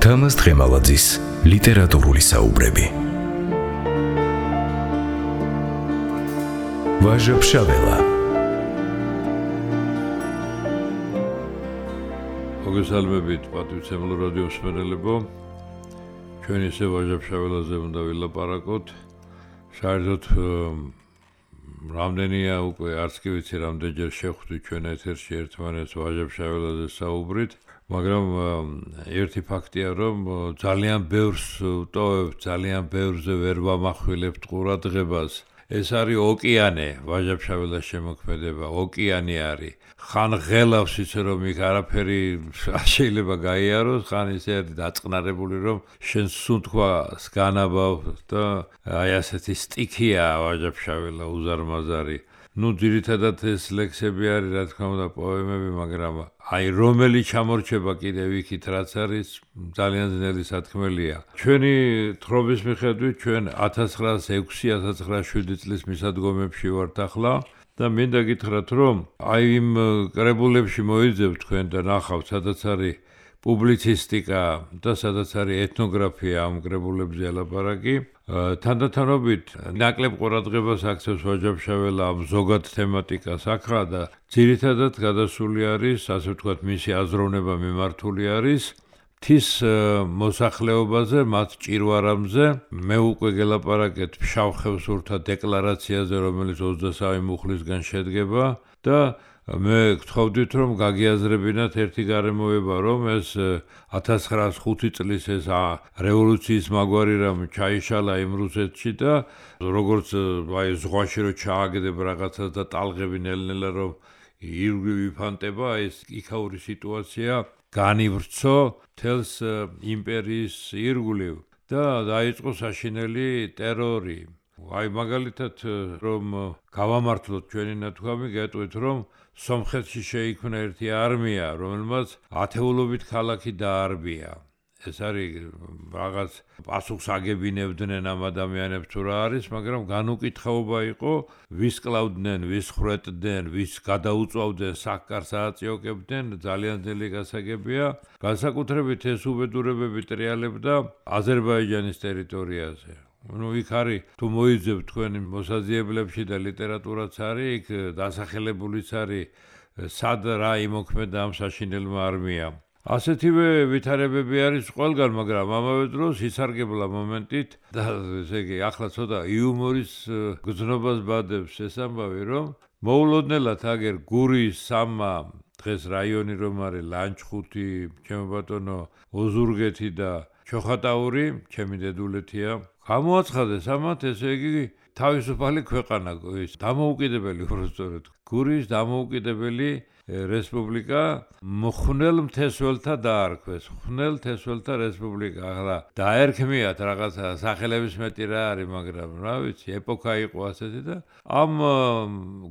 თამაზ დღემალაძის ლიტერატურული საუბრები. ვაჟა-ფშაველა. მოგესალმებით პატივცემლო რადიო მსმენელებო. ჩვენ ისე ვაჟა-ფშაველაზე უნდა ვილაპარაკოთ. საერთოდ რამდენია უკვე არც კი ვიცი რამდენჯერ შევხვდით ჩვენ ეთერში ერთმანეთს ვაჟა-ფშაველაზე საუბრით, მაგრამ ერთი ფაქტია, რომ ძალიან ბევრს ვტოვებთ, ძალიან ბევრზე ვერ ვამახვილებთ ყურადღებას. ეს არის ოკეანე, ვაჟა-ფშაველას შემოქმედება, ოკეანე არის. ხან ღელავს ისე რომ იქ არაფერი შეიძლება გაიაროს, ხან ისე არის დაწყნარებული, რომ შენ სუნთქვას განაბავ და აი ასეთი სტიქია ვაჟა-ფშაველა უზარმაზარი. ძირითადად ეს ლექსები არის, რა თქმა უნდა, პოემები, მაგრამ აი რომელი ჩამორჩება კიდევ იქით, რაც არის ძალიან ძნელი სათქმელია. ჩვენი თხრობის მიხედვით ჩვენ 1906-1907 წლის მისადგომებში ვართ ახლა და მინდა გითხრათ, რომ აი იმ კრებულებში მოიძებთ თქვენ და ნახავთ, სადაც არის პუბლიცისტიკა და სადაც არის ეთნოგრაფია ამ კრებულებზე ელაპარაკი. თანდათანობით ნაკლებ ყურადღებას აქცევს ვაჟა-ფშაველა ამ ზოგად თემატიკას აქა და ძირითადად გადასული არის, ასე ვთქვათ, მისი აზროვნება მიმართული არის მთის მოსახლეობაზე, მათ ჭირვარამზე. მე უკვე გელაპარაკეთ ფშავ ხევსურთა დეკლარაციაზე, რომელიც 23 მუხლისგან შედგება და მე გთხოვდით, რომ გაგიაზრებინათ ერთი გარემოება, რომ ეს 1905 წლის ეს რევოლუციის მაგვარი რამ ჩაიშალა იმ რუსეთში და როგორც აი ზღვაში რო ჩააგდებ რაღაცას და ტალღები ნელ-ნელა რომ ირგვლივ ვიფანტება, ეს იქაური სიტუაცია განივრცო მთელს იმპერიის ირგვლივ და დაიწყო საშინელი ტერორი. აი მაგალითად რომ გავამართლოთ ჩვენი ნათქვამი, გეტყვით, რომ სომხეთში შეიქმნა ერთი არმია, რომელმაც ათეულობით ქალაქი დაარბია. ეს არის რაღაც პასუხს აგებინებდნენ ამ ადამიანებს თუ რა არის, მაგრამ განუკითხაობა იყო, ვის კლავდნენ, ვის ხრეტდნენ, ვის გადაუწვავდნენ, საკკარს ააწიოკებდნენ, ძალიან ძნელი გასაგებია. განსაკუთრებით ეს უბედურებები ტრიალებდა აზერბაიჯანის ტერიტორიაზე. იქ არის, თუ მოიძებთ თქვენი მოსაძიებლებში და ლიტერატურაც არის, იქ დასახელებულიც არის, სად რა იმოქმედა ამ საშინელმა არმიამ. ასეთივე ვითარებები არის ყველგან, მაგრამ ამავე დროს ისარგებლა მომენტით და ესე იგი ახლა ცოტა იუმორის გზნობას ბადებს ეს ამბავი, რომ მოულოდნელად აგერ გურიის სამა დღეს რაიონი რომ არის ლანჩხუთი, ჩემო ბატონო ოზურგეთი და ჩოხატაური, ჩემი დედულეთია, გამოაცხადეს ამათ, ესე იგი თავისუფალი ქვეყანა, ის დამოუკიდებელი უბრალოდ გურიის დამოუკიდებელი რესპუბლიკა მხნელ მთესველთა დაარქვეს. მხნელ მთესველთა რესპუბლიკა. ახლა დაერქმიათ რაღაცა სახელების მეტი რა არის, მაგრამ რა ვიცი, ეპოქა იყო ასეთი და ამ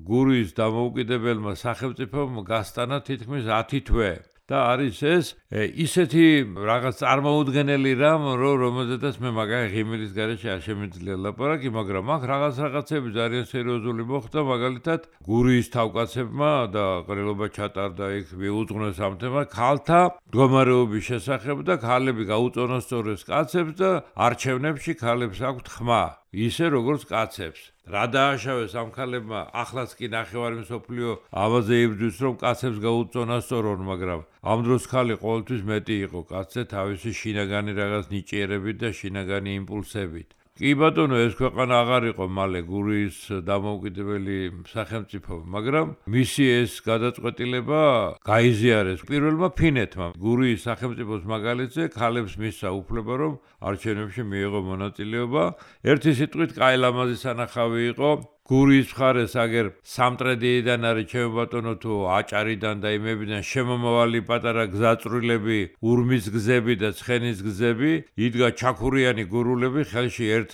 გურიის დამოუკიდებელმა სახელმწიფომ გასტანა თითქმის 10 თვე. და არის ეს ისეთი რაღაც წარმოუდგენელი რამ, რომელზედაც მე მაგარი ღიმილის გარეშე არ შემიძლია ლაპარაკი, მაგრამ აქ რაღაცები ძალიან სერიოზული მოხდა, მაგალითად გურიის თავკაცებმა და ყრილობა ჩატარდა იქ მიუძღვნეს ამ თემას ქალთა მდგომარეობის შესახებ და ქალები გაუწონასწორეს კაცებს და არჩევნებში ქალებს აქვთ ხმა, ისე როგორც კაცებს. რა დააშავეს ამ ქალებმა, ახლაც კი ნახევარი მსოფლიო ამაზე იბრძვის, რომ კაცებს გაუწონასწორონ, მაგრამ ამ დროს ქალი ყოველთვის მეტი იყო კაცზე თავისი შინაგანი რაღაც ნიჭიერებით და შინაგანი იმპულსებით. კი ბატონო, ეს ქვეყანა აღარ იყო მალე გურიის დამოუკიდებელი სახელმწიფო, მაგრამ მისი ეს გადაწყვეტილება გაიზიარეს პირველმა ფინეთმა. გურიის სახელმწიფოს მაგალითზე ქალებს მისცა უფლება, რომ არჩევნებში მიიღო მონაწილეობა. ერთი სიტყვით კაი ლამაზი სანახავი იყო. გურიის მხარეს აგერ სამტრედიიდან არის, ჩემო ბატონო, თუ აჭარიდან და იმებიდან შემომავალი პატარა გზაწვრილები, ურმის გზები და ცხენის გზები, იდგა ჩაქურიანი გურულები, ხელში ერთ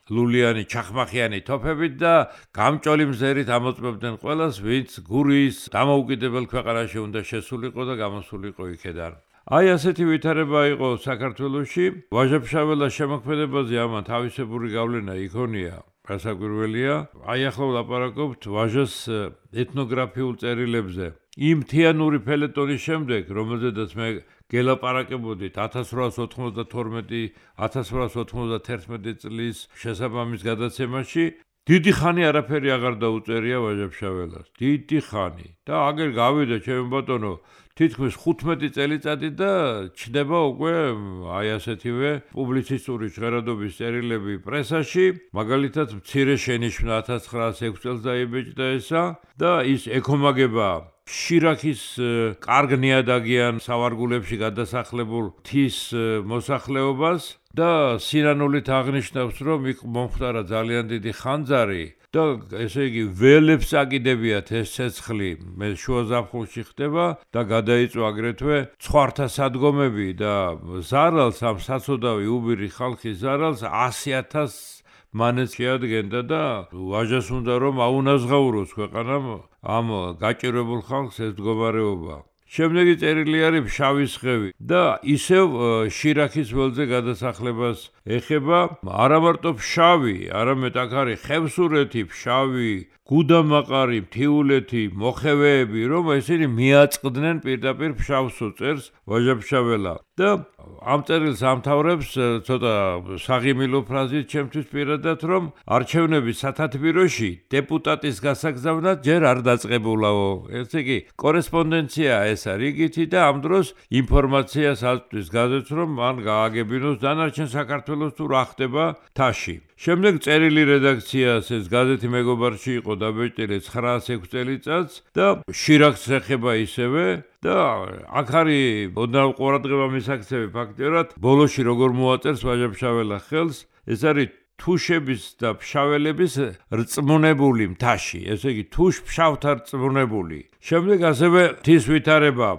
ლულიანი ჩახმახიანი თოფებით და გამჭოლი მზერით ამოწმებდნენ ყველას, ვინც გურიის დამოუკიდებელ ქვეყანაში უნდა შესულიყო და გამოსულიყო იქედან. აი ასეთი ვითარება იყო საქართველოში. ვაჟა-ფშაველას შემოქმედებაზე ამან თავისებური გავლენა იქონია. გასაკვირველია, აი ახლა ვლაპარაკობთ ვაჟას ეთნოგრაფიულ წერილებზე. იმ მთიანური ფელეტონის შემდეგ, რომელზედაც მე გელაპარაკებოდით 1892-1891 წლის შესაბამის გადაცემაში, დიდი ხანი არაფერი აღარ დაუწერია ვაჟა-ფშაველას. დიდი ხანი. და აგერ გავიდა ჩემო ბატონო, თითქმის 15 წელიწადი და ჩნდება უკვე აი ასეთივე პუბლიცისტური ჟღერადობის წერილები პრესაში, მაგალითად მცირე შენიშვნა 1906 წელს დაიბეჭდა ესა და ის ეკომაგება შირაქის კარგ ნიადაგიან სავარგულებში გადასახლებულ მთის მოსახლეობას და სინანულით აღნიშნავს, რომ იქ მომხდარა ძალიან დიდი ხანძარი და ესე იგი ველებს აკიდებიათ ეს ცეცხლი მე შუა ზაფხულში ხდება და გადაიწვა აგრეთვე ცხვართა სადგომები და ზარალს ამ საცოდავი უბირი ხალხის ზარალს 100,000 მანეს შეადგენდა და ვაჟას უნდა რომ აუნაზღაუროს ქვეყანამ ამ გაჭირებულ ხალხს ეს მდგომარეობა. შემდეგი წერილი არის შავი სხევი და ისევ შირაქის ველზე გადასახლებას ეხება არა მარტო შავი, არამედ აქ არის ხევსურეთი, შავი, გუდამაყარი, მთიულეთი, მოხევეები, რომ ესენი მიაწყდნენ პირდაპირ ფშავსო წერს ვაჟა-ფშაველა და ამ წერილს ამთავრებს ცოტა საღიმილო ფრაზით ჩემთვის პირადად, რომ არჩევნების სათათბიროში დეპუტატის გასაგზავნად ჯერ არ დაწყებულაო. ესე იგი კორესპონდენცია ესა რიგითი და ამ დროს ინფორმაციას აწვდის გაზეთს, რომ მან გააგებინოს დანარჩენ საქართველოს თუ რა ხდება თაში. შემდეგ წერილი რედაქციას ეს გაზეთი მეგობარში იყო დაბეჭდილი 906 წელიწადს და შირაქს ეხება ისევე და აქ არის ოდნავ ყურადღება მისაქცევი ფაქტიურად ბოლოში როგორ მოაწერს ვაჟა-ფშაველა ხელს ეს არის თუშების და ფშაველების რწმუნებული მთაში ესე იგი თუშ-ფშავთა რწმუნებული შემდეგ ასევე თვის ვითარება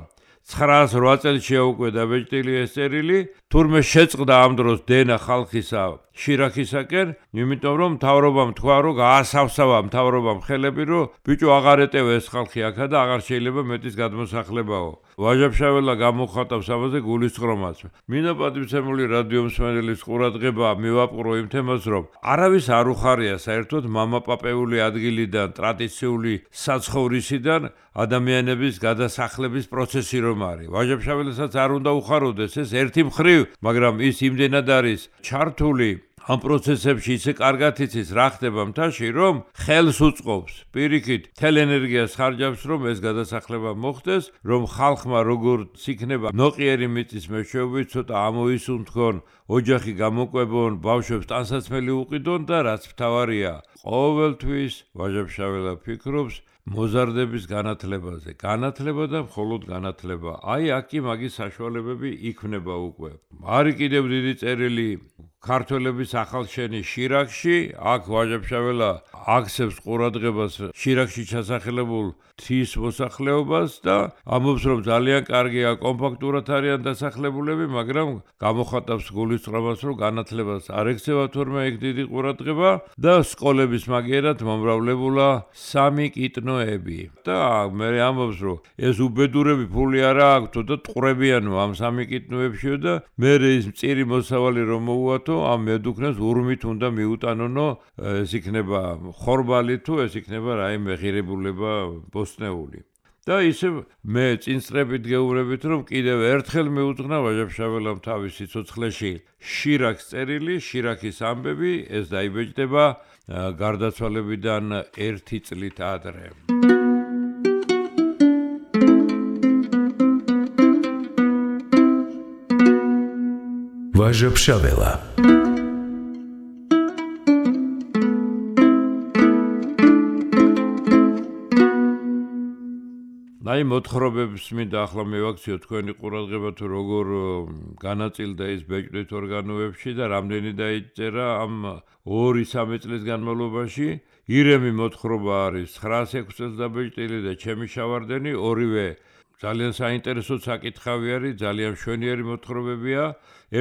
908 წელსია უკვე დაბეჭდილი ეს წერილი თურმე შეწყდა ამ დროს დენა ხალხისა შირაქისაკენ იმიტომ რომ მთავრობამ თქვა რომ გაასავსავა მთავრობამ ხელები რომ ბიჭო აღარ ეტევა ეს ხალხი აქა და აღარ შეიძლება მეტის გადმოსახლებაო ვაჟა-ფშაველა გამოხატავს ამაზე გულისწყრომას მინდა პატივცემული რადიო მსმენელის ყურადღება მივაპყრო იმ თემას რომ არავის არ უხარია საერთოდ მამაპაპეული ადგილიდან ტრადიციული საცხოვრისიდან ადამიანების გადასახლების პროცესი რომ არის ვაჟა-ფშაველასაც არ უნდა უხაროდეს ეს ერთი მხრივ მაგრამ ის იმდენად არის ჩართული ამ პროცესებში ისე კარგად იცის რა ხდება მთაში რომ ხელს უწყობს პირიქით თელ ენერგიას ხარჯავს რომ ეს გადასახლება მოხდეს რომ ხალხმა როგორც იქნება ნოყიერი მიწის მეშვეობით ცოტა ამოისუნთქონ ოჯახი გამოკვებონ ბავშვებს ტანსაცმელი უყიდონ და რაც მთავარია ყოველთვის ვაჟა-ფშაველა ფიქრობს მოზარდების განათლებაზე განათლება და მხოლოდ განათლება აი აქ მაგის საშუალებები იქმნება უკვე არის კიდევ დიდი წერილი ქართველების ახალშენის შირაქში აქ ვაჟა-ფშაველა აქცევს ყურადღებას შირაქში ჩასახლებულ თვის მოსახლეობას და ამბობს რომ ძალიან კარგია კომპაქტურად არიან დასახლებულები მაგრამ გამოხატავს გულისწყრომას რომ განათლებას არ ექცევა თურმე იქ დიდი ყურადღება და სკოლების მაგერად მომრავლებულა სამი კიტნოები და მე ამბობს რომ ეს უბედურები ფული არა აქვთო და ტყურებიანო ამ სამი კიტნოებშიო და მე ის მწირი მოსავალი რომ მოუათო ამ მედუქნეს ურმით უნდა მიუტანონო ეს იქნება ხორბალი თუ ეს იქნება რაიმე ღირებულება ბოსტნეული და ისე მე წინსწრებით გეუბნებით რომ კიდევ ერთხელ მიუძღვნა ვაჟა-ფშაველამ თავის სიცოცხლეში შირაქს წერილი შირაქის ამბები ეს დაიბეჭდება გარდაცვალებიდან 1 წლით ადრე ვაჟა-ფშაველა აი მოთხრობებს მინდა ახლა მივაქციო თქვენი ყურადღება თუ როგორ განაწილდა ის ბეჭდვით ორგანოებში და რამდენი დაიწერა ამ 2-3 წლის განმავლობაში ირემი მოთხრობა არის 906 წელს დაბეჭდილი და ჩემი შავარდენი ორივე ძალიან საინტერესო საკითხავი არის ძალიან მშვენიერი მოთხრობებია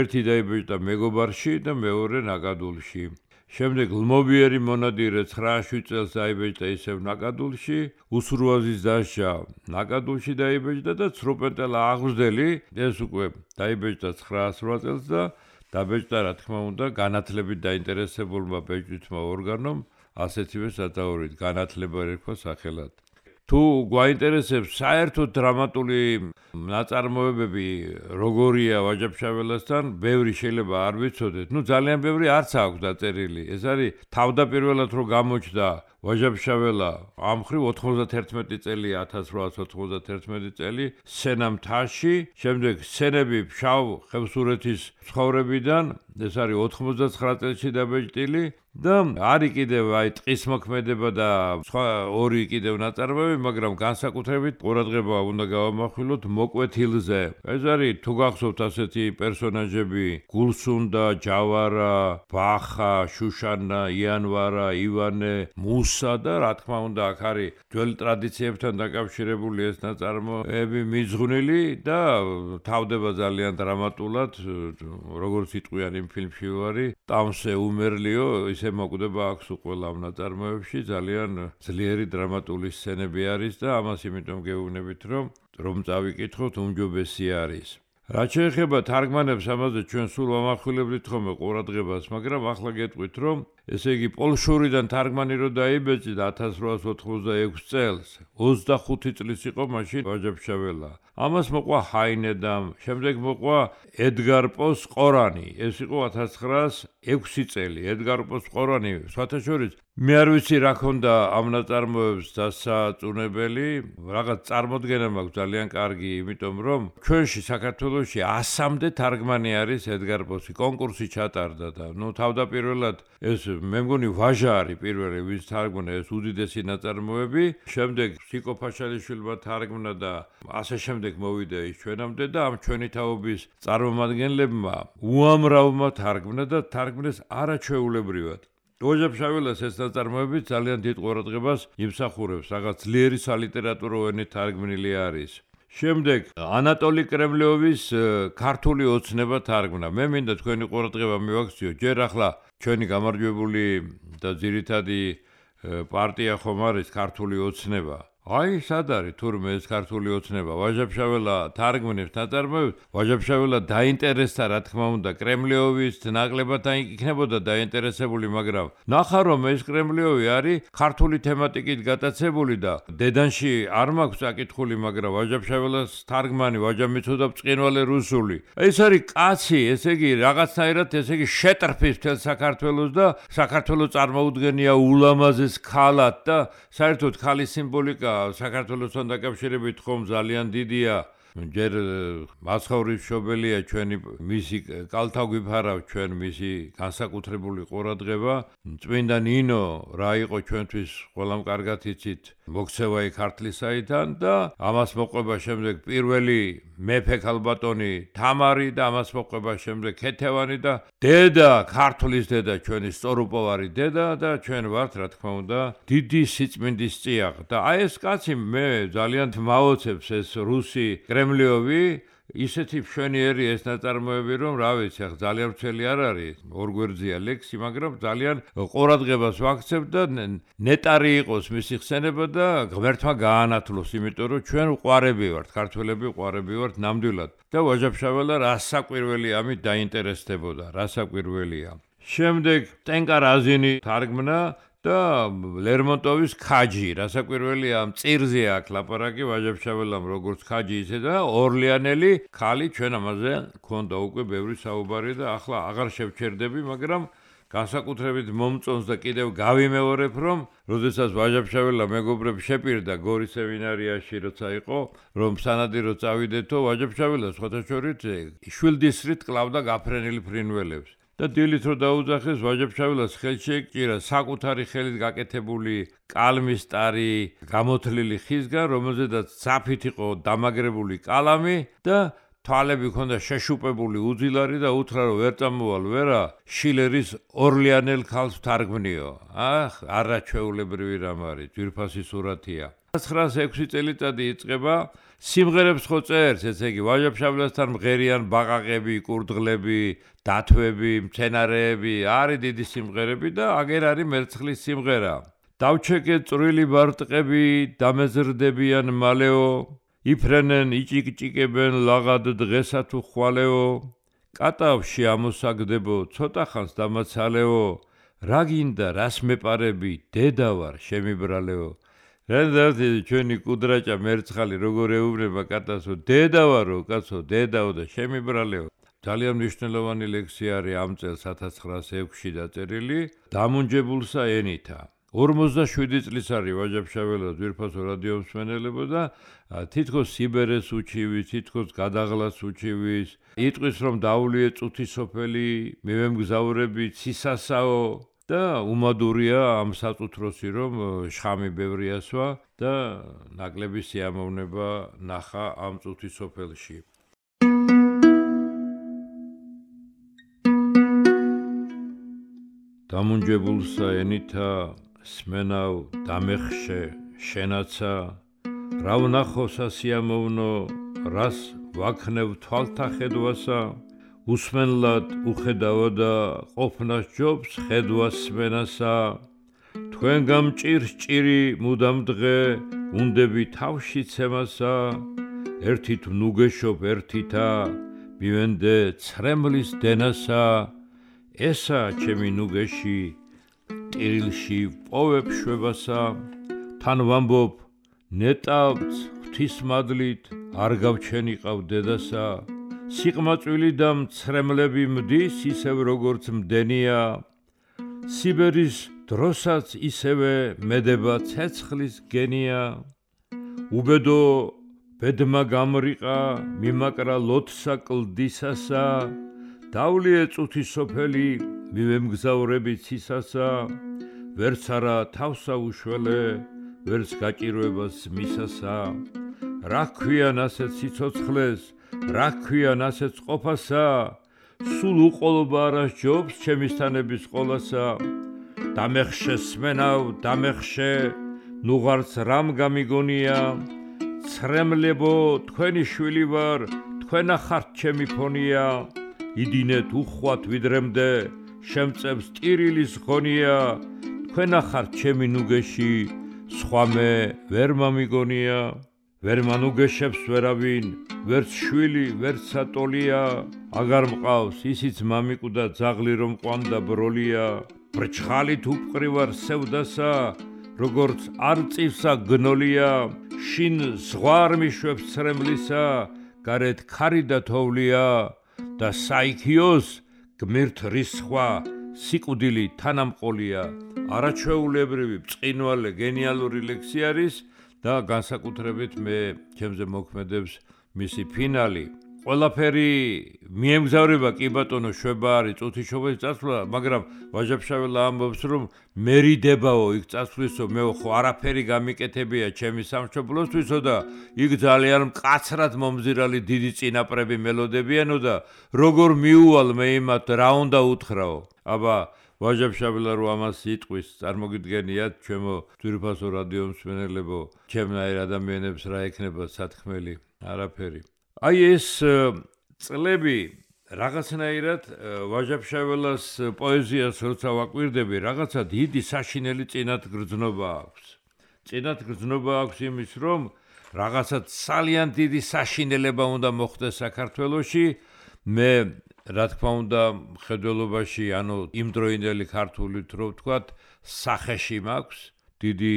ერთი დაიბეჭდა მეგობარში და მეორე ნაკადულში შემდეგ ლმობიერი მონადირე 9-7 წელს დაიბეჭდა ისევ ნაკადულში, უსურვაზის დასჯა ნაკადულში დაიბეჭდა და ცრუპენტელა აღვზდელი ეს უკვე დაიბეჭდა 908 წელს და დაბეჭდა რა თქმა უნდა განათლებით დაინტერესებულმა ბეჭდვითმა ორგანომ, ასეთივე სათაურით განათლება ერქვა სახელად. თუ გვაინტერესებს საერთოდ დრამატული ნაწარმოებები როგორია ვაჯა-ფშაველასთან, ბევრი შეიძლება არ ვიცოდეთ. ძალიან ბევრი არც აქვს დაწერილი. ეს არის თავდაპირველად რო გამოჩნდა ვაჯა-ფშაველა ამ მხრივ 91 წელია 1891 წელი სცენა მთაში, შემდეგ სცენები ფშავ ხევსურეთის ცხოვრებიდან, ეს არის 99 წელში დაბეჭდილი და არის კიდევ ტყის მოქმედება და სხვა ორი კიდევ ნაწარმოები, მაგრამ განსაკუთრებით ყურადღება უნდა გავამახვილოთ მოკვეთილზე. ეს არის თუ გახსოვთ ასეთი პერსონაჟები გულსუნდა, ჯავარა, ბახა, შუშანა, იანვარა, ივანე, მუსა და რა თქმა უნდა აქ არის ძველ ტრადიციებთან დაკავშირებული ეს ნაწარმოები მიძღვნილი და თავდება ძალიან დრამატულად, როგორც იტყვიან იმ ფილმში ვარი, ტამსე უმერლიო ისე მოკვდება აქვს ყველა ამ ნაწარმოებში, ძალიან ძლიერი დრამატული სცენები არის და ამას იმიტომ გეუბნებით, რომ წავიკითხოთ, უმჯობესი არის. რაც შეეხება თარგმანებს, ამაზე ჩვენ სულ ვამახვილებთ ხოლმე ყურადღებას, მაგრამ ახლა გეტყვით, რომ ესე იგი პოლშურიდან თარგმანი რო დაიბეჭდა 1886 წელს, 25 წლის იყო მაშინ ვაჯა-ფშაველა. ამას მოყვა ჰაინედამ, შემდეგ მოყვა ედგარ პოს ყორანი, ეს იყო 1906 წელი. ედგარ პოს ყორანი, სხვათა შორის მე არ ვიცი რა ქონდა ამ ნაწარმოებს დასაწუნებელი, რაღაც წარმოდგენა მაქვს ძალიან კარგი, იმიტომ რომ ჩვენში საქართველოში 100-მდე თარგმანი არის ედგარ პოსი, კონკურსი ჩატარდა და თავდაპირველად ეს მე მგონი ვაჟა არის პირველი, ვინც თარგმნა ეს უდიდესი ნაწარმოები, შემდეგ სიკო ფაშალიშვილმა თარგმნა და ასე შემდეგ მოვიდა ის ჩვენამდე და ამ ჩვენი თაობის წარმომადგენლებმა უამრავმა თარგმნა და თარგმნეს არაჩვეულებრივად. ვაჯა-ფშაველას ეს ნაწარმოები ძალიან დიდ ყურადღებას იმსახურებს, რაღაც ძლიერი სალიტერატურო ენით თარგმნილი არის. შემდეგ ანატოლი კრემლიოვის ქართული ოცნება თარგმნა. მე მინდა თქვენი ყურადღება მივაქციო, ჯერ ახლა ჩვენი გამარჯვებული და ძირითადი პარტია ხომ არის ქართული ოცნება. აი, სად არის თურმე ეს ქართული ოცნება? ვაჯა-ფშაველა თარგმნებს ნაწარმოებს, ვაჯა-ფშაველა დაინტერესდა, რა თქმა უნდა, კრემლიოვის ნაკლებად იქნებოდა დაინტერესებული, მაგრამ ნახა რომ ეს კრემლიოვი არის ქართული თემატიკით გატაცებული და დედანში არ მაქვს საკითხული, მაგრამ ვაჯა-ფშაველას თარგმანი ვაჯა მიცოდა ბრწყინვალე რუსული. ეს არის კაცი, ესე იგი რაღაცნაირად ესე იგი შეტრფის მთელ საქართველოს და საქართველოს წარმოუდგენია ულამაზეს ქალად და საერთოდ ქალის სიმბოლიკა საქართველოსთან დაკავშირებით ხომ ძალიან დიდია. ჯერ მაცხოვრის მშობელია ჩვენი მისი კალთა გვიფარავ ჩვენ მისი განსაკუთრებული ყურადღება. წმინდა ნინო რა იყო ჩვენთვის ყველამ კარგად იცით, მოქცევა ქართლისაიდან და ამას მოყვება შემდეგ პირველი მეფე ქალბატონი თამარი და ამას მოყვება შემდეგ ქეთევანი და დედა ქართლის დედა ჩვენი სწორუპოვარი დედა და ჩვენ ვართ რა თქმა უნდა დიდი სიწმინდის წიაღ და აი ეს კაცი მე ძალიან მაოცებს ეს რუსი კრემლიოვი ისეთი მშვენიერი ეს ნაწარმოები რომ რა ვიცი ახლა ძალიან ვრცელი არ არის ორ გვერდზეა ლექსი მაგრამ ძალიან ყურადღებას ვაქცევ და ნეტარი იყოს მისი ხსენება და ღმერთმა გაანათლოს იმიტომ რომ ჩვენ უყვარები ვართ ქართველები უყვარები ვართ ნამდვილად და ვაჯა-ფშაველა რასაკვირველი ამით დაინტერესდებოდა რასაკვირველია შემდეგ ტენკა რაზინი თარგმნა და ლერმონტოვის ქაჯი, რასაკვირველია ამ წირზე აქვს ლაპარაკი ვაჯა-ფშაველამ როგორც ქაჯი ისე და ორლეანელი ქალი ჩვენ ამაზე ქონდა უკვე ბევრი საუბარი და ახლა აღარ შევჩერდები, მაგრამ განსაკუთრებით მომწონს და კიდევ გავიმეორებ, რომ როდესაც ვაჯა-ფშაველა მეგობრებს შეპირდა გორის სემინარიაში როცა იყო, რომ სანადირო წავიდეთო, ვაჯა-ფშაველა სხვათა შორის შვილდისრით კლავდა გაფრენილ ფრინველებს. და დილით რო დაუძახეს ვაჯა-ფშაველას ხელში ეკჭირა საკუთარი ხელით გაკეთებული კალმისტარი გამოთლილი ხისგან, რომელზედაც ძაფით იყო დამაგრებული კალამი და თვალები ქონდა შეშუპებული უძილარი და უთხრა რომ ვერ წამოვალ ვერა შილერის ორლიანელ ქალს თარგმნიო. არაჩვეულებრივი რამ არის, ძვირფასი სურათია. 1906 წელიწადი იწყება სიმღერებს ხო წერს, ესე იგი ვაჟა-ფშაველასთან მღერიან ბაყაყები, კურდღლები, დათვები, მცენარეები, არის დიდი სიმღერები და აგერ არის მერცხლის სიმღერა. დავჩეკე წვრილი ბარტყები, დამეზრდებიან მალეო, იფრენენ, იჭიკჭიკებენ ლაღად დღესა თუ ხვალეო, კატავში ამოსაგდებო, ცოტა ხანს დამაცალეო, რა გინდა, რას მეპარები, დედა ვარ, შემიბრალეო. რანძავდი ჩვენი კუდრაჭა მერცხალი როგორ ეუბნება კატასო, დედა ვარო, კაცო, დედაო და შემიბრალეო. ძალიან მნიშვნელოვანი ლექსია არის ამ წელს 1906-ში დაწერილი, დამუნჯებულსა ენითა. 47 წლის არის ვაჟა-ფშაველას ძვირფასო რადიომსმენელებო და თითქოს სიბერეს უჩივის, თითქოს გადაღლას უჩივის, იტყვის რომ დაულიე წუთი სოფელი, მივემგზავრები ცისასაო და უმადურია ამ საწუთროსი რომ შხამი ბევრი ასვა და ნაკლები სიამოვნება ნახა ამ წუთი სოფელში. დამუნჯებულსა ენითა სმენავ დამეხშე შენაცა რა ვნახო სასიამოვნო რას ვაქნევ თვალთა ხედვასა უსმენლად უხედავო და ყოფნას ჯობს ხედვას სმენასა თქვენ გამჭირს ჭირი მუდამ დღე უნდები თავში ცემასა ერთით ვნუგეშობ ერთითა მივენდე ცრემლის დენასა ესა ჩემი ნუგეში ტირილში პოვებ შვებასა თან ვამბობ ნეტავთ ღვთისმადლით არ გავჩენიყავ დედასა სიყმაწვილი და მცრემლები მდის ისევ როგორც მდენია სიბერის დროსაც ისევე მედება ცეცხლის გენია უბედო ბედმა გამრიყა მიმაკრა ლოთსა კლდისასა დავლიე წუთი სოფელი მივემგზავრები ცისასა ვერც არა თავსა უშველე ვერც გაჭირვებას მისასა რა ქვიან ასეთ სიცოცხლეს რა ქვიან ასეთ ყოფასა სულ უყოლობა არ ასჯობს ჩემისთანების ყოლასა დამეხშე სმენავ დამეხშე ნუღარც რამ გამიგონია ცრემლებო თქვენი შვილი ვარ თქვენა ხართ ჩემი ფონია იდინეთ უხვად ვიდრემდე შემწევს ტირილის ღონია თქვენა ხართ ჩემი ნუგეში სხვა მე ვერ მომიგონია ვერ მანუგეშებს ვერავინ ვერც შვილი ვერც სატოლია აგარ მყავს ისიც მამიკვდა ძაღლი რომ ყვანდა ბროლია ბრჩხალით უპყრივარ სევდასა როგორც არ წივსა გნოლია შინ ზღვარ მიშვებს ცრემლისა გარეთ ქარი და თოვლია და საიქიოს გმირთ რისხვა სიკვდილი თანამყოლია არაჩვეულებრივი ბრწყინვალე გენიალური ლექსი არის და განსაკუთრებით მე ჩემზე მოქმედებს მისი ფინალი ყველაფერი მიემგზავრება კი ბატონო შვება არის წუთიშობის წასვლა მაგრამ ვაჟა-ფშაველა ამბობს რომ მერიდებაო იქ წასვლისო მე ხო არაფერი გამიკეთებია ჩემი სამშობლოსთვისო და იქ ძალიან მკაცრად მომზირალი დიდი წინაპრები მელოდებიანო და როგორ მიუვალ მე იმათ რა უნდა უთხრაო აბა ვაჟა-ფშაველა რო ამას იტყვის წარმოგიდგენიათ ჩემო ძვირფასო რადიომსმენელებო ჩემნაირ ადამიანებს რა ექნება სათქმელი არაფერი აი ეს წლები რაღაცნაირად ვაჟა-ფშაველას პოეზიას როცა ვაკვირდები რაღაცა დიდი საშინელი წინათგრძნობა აქვს წინათგრძნობა აქვს იმის რომ რაღაცა ძალიან დიდი საშინელება უნდა მოხდეს საქართველოში მე რა თქმა უნდა მხედველობაში ანუ იმდროინდელი ქართულით რო ვთქვათ სახეში მაქვს დიდი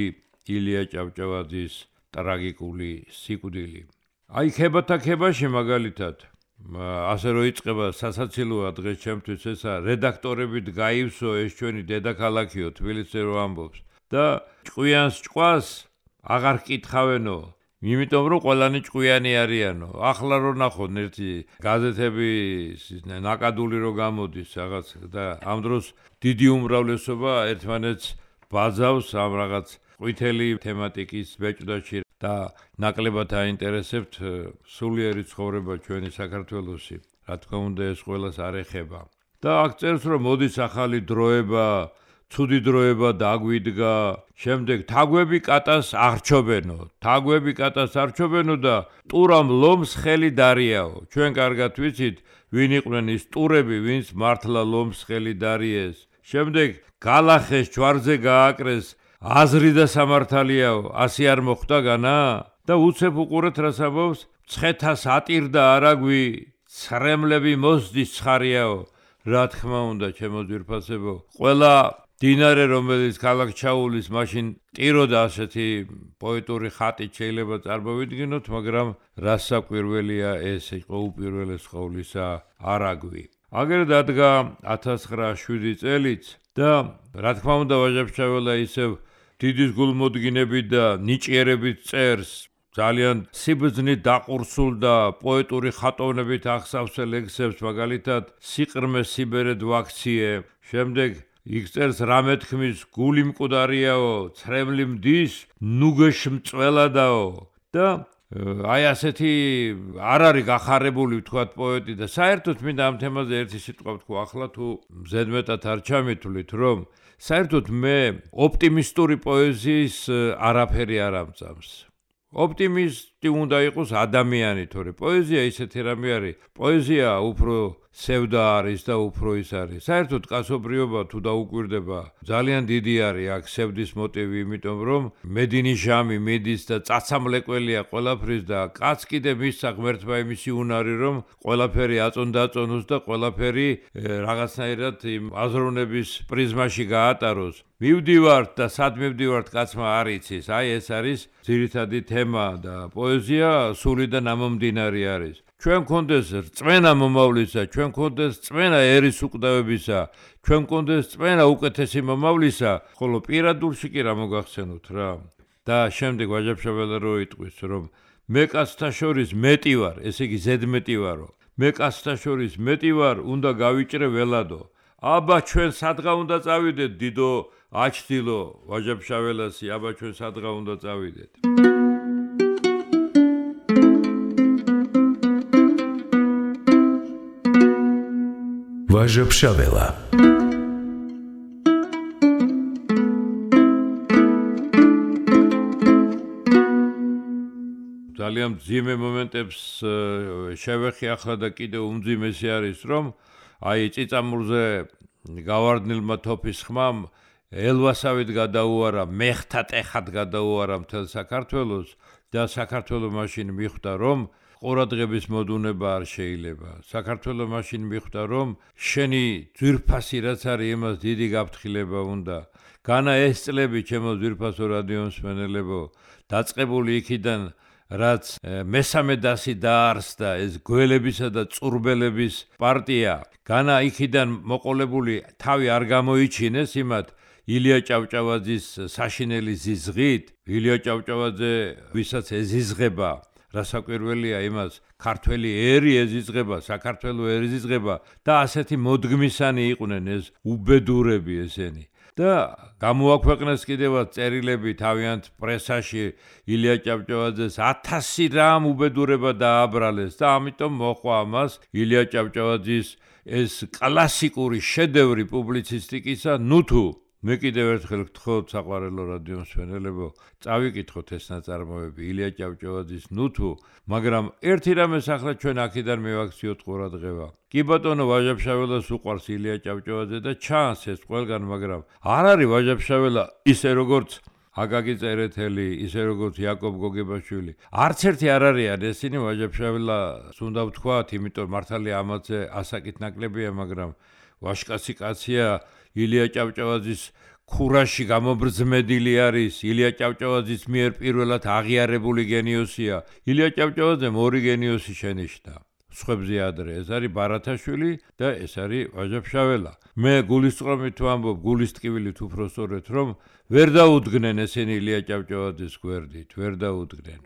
ილია ჭავჭავაძის ტრაგიკული სიკვდილი აი ქებათა ქებაში მაგალითად ასე რო იწყება სასაცილოა დღეს ჩემთვის ესა რედაქტორებით გაივსო ეს ჩვენი დედაქალაქიო თბილისი რო ამბობს და ჭკვიანს ჭყვას აღარ კითხავენო იმიტომ რომ ყველანი ჭკვიანი არიანო ახლა რო ნახოთ ერთი გაზეთების ნაკადული რო გამოდის რაღაც და ამ დროს დიდი უმრავლესობა ერთმანეთს ბაძავს ამ რაღაც ყვითელი თემატიკის ბეჭდაში და ნაკლებად აინტერესებთ სულიერი ცხოვრება ჩვენი საქართველოსი. Რა თქმა უნდა, ეს ყველას არ ეხება. და აქ წერს, რომ მოდის ახალი დროება, ცუდი დროება დაგვიდგა, შემდეგ თაგვები კატას არჩობენო. თაგვები კატას არჩობენო და ტურამ ლომს ხელი დარიაო. ჩვენ კარგად ვიცით, ვინ იყვნენ ის ტურები, ვინც მართლა ლომს ხელი დარიეს. შემდეგ გალახეს ჯვარზე გააკრეს, აზრი და სამართალიაო, ასე არ მოხდა განა? და უცებ უყურეთ რას ამბობს, ცხეთას ატირდა არაგვი, ცრემლები მოსდის ცხარიაო. რა თქმა უნდა, ჩემო ძვირფასებო, ყველა დინარე, რომელიც ქალაქ ჩაულის, მაშინ ტიროდა ასეთი პოეტური ხატით შეიძლება წარმოვიდგინოთ, მაგრამ რას საკვირველია ეს იყო უპირველეს ყოვლისა არაგვი. აგერ დადგა 1907 წელიც და რა თქმა უნდა, ვაჟა-ფშაველა ისევ დიდის გულმოდგინებით და ნიჭიერებით წერს, ძალიან სიბრძნით დაყურსულ და პოეტური ხატოვნებით აღსავსე ლექსებს, მაგალითად სიყრმე სიბერედ ვაქციე, შემდეგ იქ წერს რა მეთქმის გული მკვდარიაო, ცრემლი მდის, ნუგეშ მწველადაო და აი ასეთი არ არის გახარებული ვთქვათ პოეტი და საერთოდ მინდა ამ თემაზე ერთი სიტყვა ვთქვა ახლა თუ ზედმეტად არ ჩამითვლით რომ საერთოდ მე ოპტიმისტური პოეზიის არაფერი არ ამწამს. ოპტიმისტი უნდა იყოს ადამიანი, თორე პოეზია ისეთი რამე არის. პოეზია უფრო სევდა არის და უფრო ის არის. საერთოდ კაცობრიობა თუ დაუკვირდება, ძალიან დიდი არის აქ სევდის მოტივი, იმიტომ რომ მედინიჟამი მიდის და წაცამლეკველია ყველაფრის და კაც კიდე მისცა ღმერთმა იმისი უნარი, რომ ყველაფერი აწონ-დაწონოს და ყველაფერი რაღაცნაირად იმ აზროვნების პრიზმაში გაატაროს. მივდივართ და სად მივდივართ კაცმა არ იცის. აი ეს არის ძირითადი თემა და პოეზია სული და ნამომდინარი არის. ჩვენ გქონდეს რწმენა მომავლისა, ჩვენ გქონდეს რწმენა ერის უკვდავებისა, ჩვენ გქონდეს რწმენა უკეთესი მომავლისა, ხოლო პირადულში კი რა მოგახსენოთ რა. და შემდეგ ვაჟა-ფშაველა რო იტყვის, რომ მე კაცთა შორის მეტი ვარ, ესე იგი ზედმეტი ვარო. მე კაცთა შორის მეტი ვარ, უნდა გავიჭრე ველადო. აბა ჩვენ სადღა უნდა წავიდეთ, დიდო აჩtildeო, ვაჟა-ფშაველასი, აბა ჩვენ სადღა უნდა წავიდეთ. ვაჟა-ფშაველა ძალიან მძიმე მომენტებს შევეხი ახლა და კიდევ უმძიმესი არის რომ აი წიწამურზე გავარდნილმა თოფის ხმამ ელვასავით გადაუარა, მეხთა ტეხად გადაუარა მთელ საქართველოს და საქართველოს მაშინ მიხვდა რომ ყურადღების მოდუნება არ შეიძლება. საქართველოს მაშინ მიხვდა რომ შენი ძვირფასი რაც არის იმას დიდი გაფრთხილება უნდა. განა ეს წლები ჩემო ძვირფასო რადიო მსმენელებო, დაწყებული იქიდან რაც მესამე დასი დაარსდა ეს გველებისა და წურბელების პარტია, განა იქიდან მოყოლებული თავი არ გამოიჩინეს იმათ ილია ჭავჭავაძის საშინელი ზიზღით, ილია ჭავჭავაძე ვისაც ეზიზღება რასაკვირველია იმას ქართველი ერი ეზიზღება, საქართველოს ერი ეზიზღება და ასეთი მოდგმისანი იყვნენ ეს უბედურები ესენი. და გამოაქვეყნეს კიდევაც წერილები თავიანთ პრესაში ილია ჭავჭავაძეს 1000 რამ უბედურება დააბრალეს და ამიტომ მოყვა ამას ილია ჭავჭავაძის ეს კლასიკური შედევრი პუბლიცისტიკისა ნუთუ. მე კიდევ ერთხელ გთხოვთ საყვარელო რადიო მსმენელებო, წავიკითხოთ ეს ნაწარმოები ილია ჭავჭავაძის ნუთუ, მაგრამ ერთი რამეს ახლა ჩვენ აქედან მივაქციოთ ყურადღება. კი ბატონო ვაჟა-ფშაველას უყვარს ილია ჭავჭავაძე და ჩანს ეს ყველგან, მაგრამ არ არის ვაჟა-ფშაველა ისე როგორც აკაკი წერეთელი, ისე როგორც იაკობ გოგებაშვილი. არც ერთი არ არიან ესენი ვაჟა-ფშაველას უნდა ვთქვათ, იმიტომ მართალია ამაზე ასაკით ნაკლებია, მაგრამ ვაჟკაცი კაცია. ილია ჭავჭავაძის ქურაში გამობრძმედილი არის, ილია ჭავჭავაძის მიერ პირველად აღიარებული გენიოსია. ილია ჭავჭავაძემ ორი გენიოსი შენიშნა. სხვებზე ადრე ეს არის ბარათაშვილი და ეს არის ვაჟა-ფშაველა. მე გულისწყრომით ვამბობ, გულისტკივილით უფრო სწორედ, რომ ვერ დაუდგნენ ესენი ილია ჭავჭავაძის გვერდით, ვერ დაუდგნენ.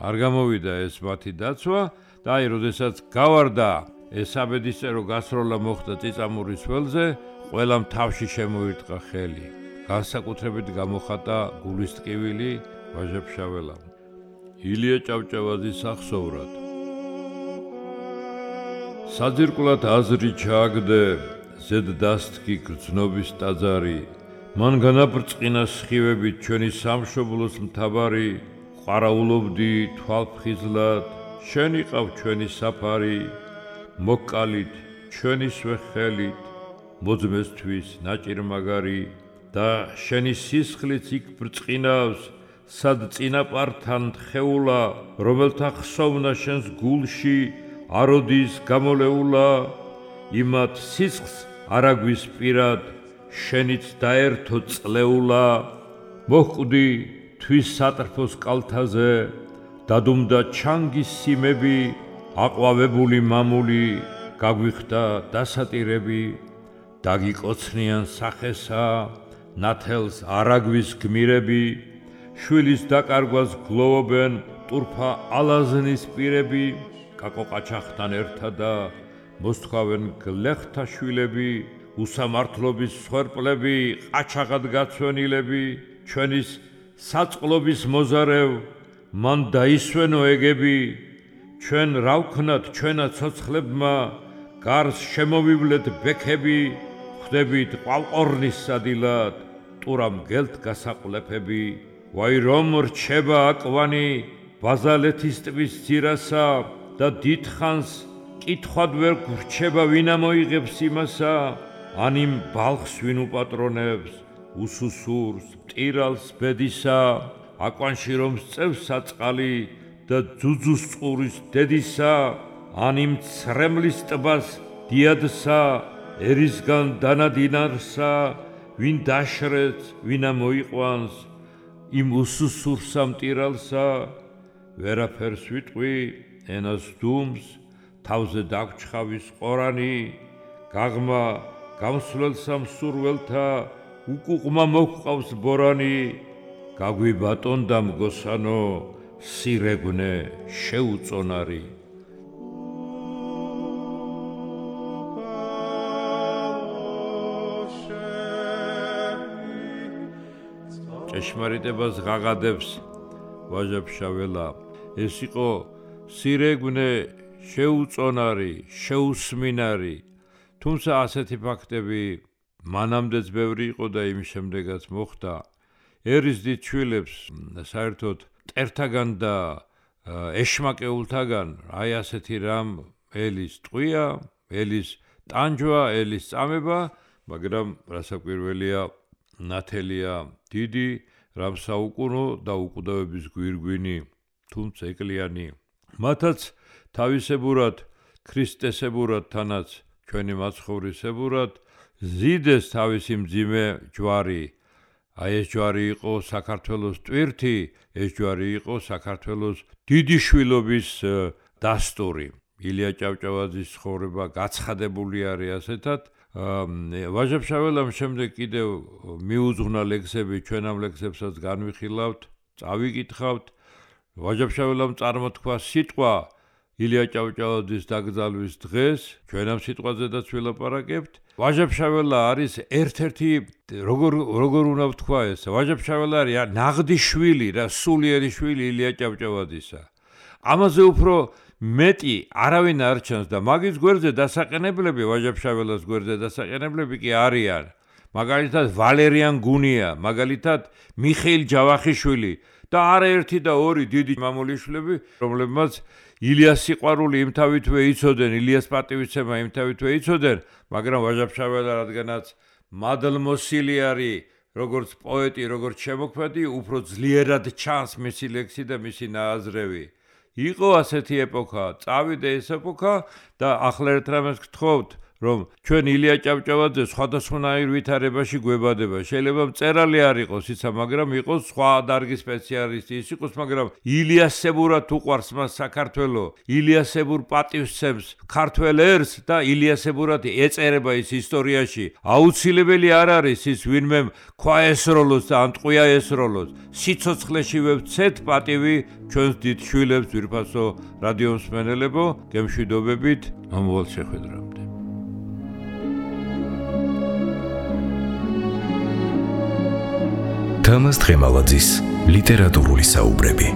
არ გამოვიდა ეს მათი დაცვა და აი, როდესაც გავარდა ეს საბედისწერო გასროლა მოხდა წიწამურის ველზე, ყველამ თავში შემოირტყა ხელი. განსაკუთრებით გამოხატა გულისტკივილი ვაჟა-ფშაველამ. ილია ჭავჭავაძის სახსოვრად. საძირკვლად აზრი ჩააგდე, ზედ დასთქი გრძნობის ტაძარი, მან განაბრწყინა სხივებით ჩვენი სამშობლოს მთავარი, ყვარაულობდი თვალფხიზლად, შენ იყავ ჩვენი საფარი, მოკალით ჩვენისვე ხელით, მოძმესთვის ნაჭირმაგარი და შენი სისხლიც იქ ბრწყინავს, სად წინაპართან თხეულა, რომელთა ხსოვნა შენს გულში აროდის გამოლეულა, იმათ სისხლს არაგვის პირად, შენიც დაერთო წლეულა, მოჰკვდი თვის სატრფოს კალთაზე, დადუმდა ჩანგის სიმები, აყვავებული მამული, გაგვიხდა დასატირები, დაგიკოცნიან სახესა, ნათელს არაგვის გმირები, შვილის დაკარგვას გლოვობენ ტურფა ალაზნის პირები, კაკოყაჩახთან ერთადა მოსთქვავენ გლეხთა შვილები, უსამართლობის სვერპლები, ყაჩაღად გაცვენილები, ჩვენის საწყლობის მოზარევ, მან დაისვენო ეგები, ჩვენ რა ვქნათ ჩვენა ცოცხლებმა, გარს შემოვივლეთ ბექები, ხვდებით ყვალყორნის სადილად, ტურამ გელთ გასაყლეფები, ვაი რომ რჩება აკვანი, ბაზალეთის ტბის ძირასა და დიდხანს კითხვად ვერ გვრჩება ვინ ამოიღებს იმასა, ან იმ ბალხს ვინ უპატრონებს, უსუსურს, მტირალს ბედისა, აკვანში რომ სწევს საწყალი და ძუძუს წყურის დედისა, ან იმ ცრემლის ტბას დიადსა, ერისგან დანადინარსა, ვინ დაშრեց, ვინა მოიყვანს, იმ უსუსურსა მტირალსა, ვერაფერს ვიტყვი, ენას დუმს, თავზე დაგჩხავის ყორანი, გაღმა გამსვლელსა მსურველთა, უკუყმა მოჰყავს ბორანი, გაგვიბატონდა მგოსანო, სირეგვნე შეუწონარი. ჭეშმარიტებას ღაღადებს ვაჟა-ფშაველა, ეს იყო სირეგვნე შეუწონარი, შეუსმინარი, თუმცა ასეთი ფაქტები მანამდეც ბევრი იყო და იმის შემდეგაც მოხდა. ერის დიდ შვილებს საერთოდ მტერთაგან და ეშმაკეულთაგან აი ასეთი რამ ელის ტყვია, ელის ტანჯვა, ელის წამება, მაგრამ რასაკვირველია, ნათელია დიდი, რამ საუკუნო და უკვდავების გვირგვინი, თუმცა ეკლიანი. მათაც თავისებურად, ქრისტესებურად თანაც ჩვენი მაცხოვრისებურად ზიდეს თავისი მძიმე ჯვარი. აი ეს ჯვარი იყო საქართველოს ტვირთი, ეს ჯვარი იყო საქართველოს დიდი შვილობის დასტური. ილია ჭავჭავაძის ცხოვრება გაცხადებული არის ასეთად. ვაჟა-ფშაველამ შემდეგ კიდევ მიუძღვნა ლექსები, ჩვენ ამ ლექსებსაც განვიხილავთ, წავიკითხავთ. ვაჟა-ფშაველამ წარმოთქვა სიტყვა ილია ჭავჭავაძის დაკრძალვის დღეს, ჩვენ ამ სიტყვაზედაც ვილაპარაკებთ. ვაჟა-ფშაველა არის ერთ-ერთი, როგორ უნდა ვთქვა ეს, ვაჟა-ფშაველა არის ნაღდი შვილი, რა სულიერი შვილი ილია ჭავჭავაძისა. ამაზე უფრო მეტი არავინ არ ჩანს და მაგის გვერდზე დასაყენებლები, ვაჟა-ფშაველას გვერდზე დასაყენებლები კი არიან. მაგალითად ვალერიან გუნია, მაგალითად მიხეილ ჯავახიშვილი და არაერთი და ორი დიდი მამულიშვილები, რომლებმაც ილიას სიყვარული იმთავითვე იცოდნენ, ილიას პატივისცემა იმთავითვე იცოდნენ, მაგრამ ვაჟა-ფშაველა რადგანაც მადლმოსილი არის, როგორც პოეტი, როგორც შემოქმედი, უფრო ძლიერად ჩანს მისი ლექსი და მისი ნააზრევი. იყო ასეთი ეპოქა, წავიდა ეს ეპოქა და ახლა ერთ რამეს გთხოვთ, რომ ჩვენ ილია ჭავჭავაძე სხვადასხვანაირ ვითარებაში გვებადება. შეიძლება მწერალი არ იყოს ისა, მაგრამ იყოს სხვა დარგის სპეციალისტი ის იყოს, მაგრამ ილიასებურად უყვარს მას საქართველო, ილიასებურ პატივსცემს ქართველ ერს და ილიასებურად ეწერება ის ისტორიაში. აუცილებელი არ არის ის ვინმე ქვა ესროლოს და ან ტყვია ესროლოს. სიცოცხლეში ვეცეთ პატივი ჩვენს დიდ შვილებს, ძვირფასო რადიო მსმენელებო, გემშვიდობებით, მომავალ შეხვედრამდე. თამაზ დღემალაძის ლიტერატურული საუბრები.